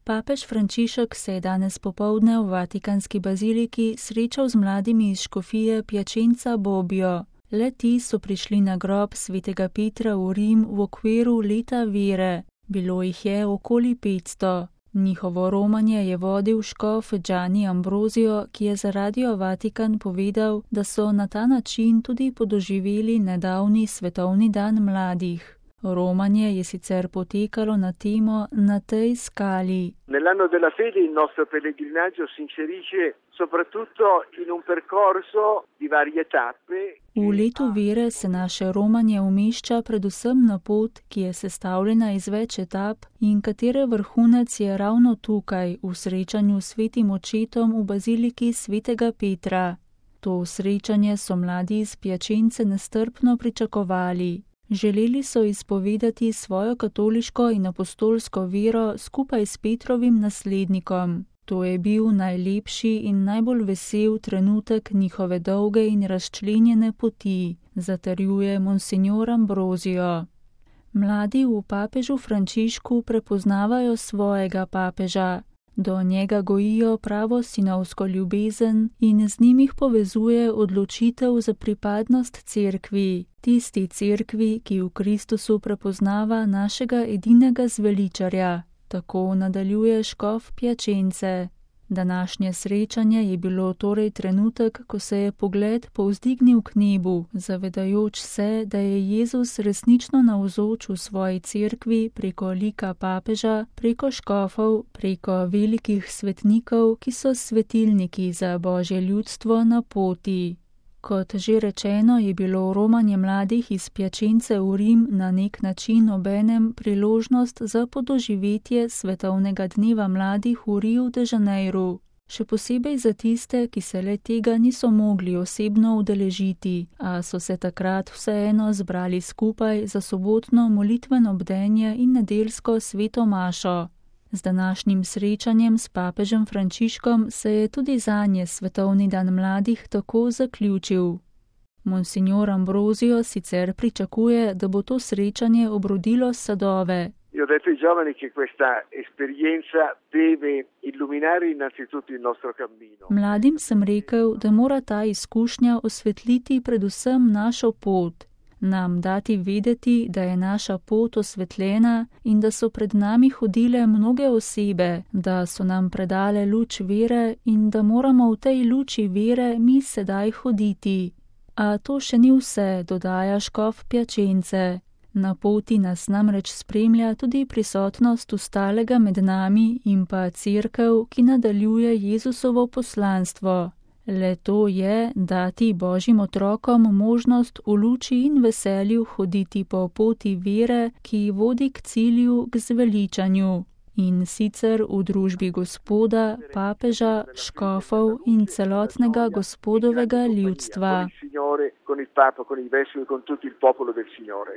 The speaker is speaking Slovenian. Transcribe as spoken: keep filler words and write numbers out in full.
Papež Frančišek se je danes popoldne v Vatikanski baziliki srečal z mladimi iz škofije Piacenza Bobbio. Le ti so prišli na grob svetega Petra v Rim v okviru leta vere. Bilo jih je okoli petsto. Njihovo romanje je vodil škof Gianni Ambrosio, ki je za Radio Vatikan povedal, da so na ta način tudi podoživeli nedavni svetovni dan mladih. Romanje je sicer potekalo na temo Na tej skali. Nell'anno della fede il nostro pellegrinaggio si inserisce soprattutto in un percorso di varie tappe. V letu vere se naše romanje umešča predvsem na pot, ki je sestavljena iz več etap in katere vrhunec je ravno tukaj, v srečanju s svetim očetom v baziliki svetega Petra. To srečanje so mladi iz Piacence nestrpno pričakovali. Želeli so izpovedati svojo katoliško in apostolsko vero skupaj s Petrovim naslednikom. To je bil najlepši in najbolj vesel trenutek njihove dolge in razčlenjene poti, zatrjuje monsignor Ambrosio. Mladi v papežu Frančišku prepoznavajo svojega papeža. Do njega gojijo pravo sinovsko ljubezen in z njim jih povezuje odločitev za pripadnost cerkvi, tisti cerkvi, ki v Kristusu prepoznava našega edinega zveličarja. Tako nadaljuje škof Piacence. Današnje srečanje je bilo torej trenutek, ko se je pogled povzdignil k nebu, zavedajoč se, da je Jezus resnično navzoč v svoji cerkvi preko lika papeža, preko škofov, preko velikih svetnikov, ki so svetilniki za Božje ljudstvo na poti. Kot že rečeno, je bilo romanje mladih iz Piacence v Rim na nek način obenem priložnost za podoživetje svetovnega dneva mladih v Rio de Janeiru. Še posebej za tiste, ki se le tega niso mogli osebno udeležiti, a so se takrat vseeno zbrali skupaj za sobotno molitveno bdenje in nedeljsko sveto mašo. Z današnjim srečanjem s papežem Frančiškom se je tudi zanje svetovni dan mladih tako zaključil. Monsignor Ambrosio sicer pričakuje, da bo to srečanje obrodilo sadove. Io ho detto ai giovani che questa esperienza deve illuminare innanzitutto il nostro cammino. Mladim sem rekel, da mora ta izkušnja osvetliti predvsem našo pot. Nam dati vedeti, da je naša pot osvetljena in da so pred nami hodile mnoge osebe, da so nam predale luč vere in da moramo v tej luči vere mi sedaj hoditi. A to še ni vse, dodaja škof Piacence. Na poti nas namreč spremlja tudi prisotnost ostalega med nami in pa cerkev, ki nadaljuje Jezusovo poslanstvo. Le to je dati Božjim otrokom možnost v luči in veselju hoditi po poti vere, ki vodi k cilju, k zveličanju. In sicer v družbi Gospoda, papeža, škofov in celotnega Gospodovega ljudstva. Con il Papa, con i vescovi, con tutto il popolo del Signore.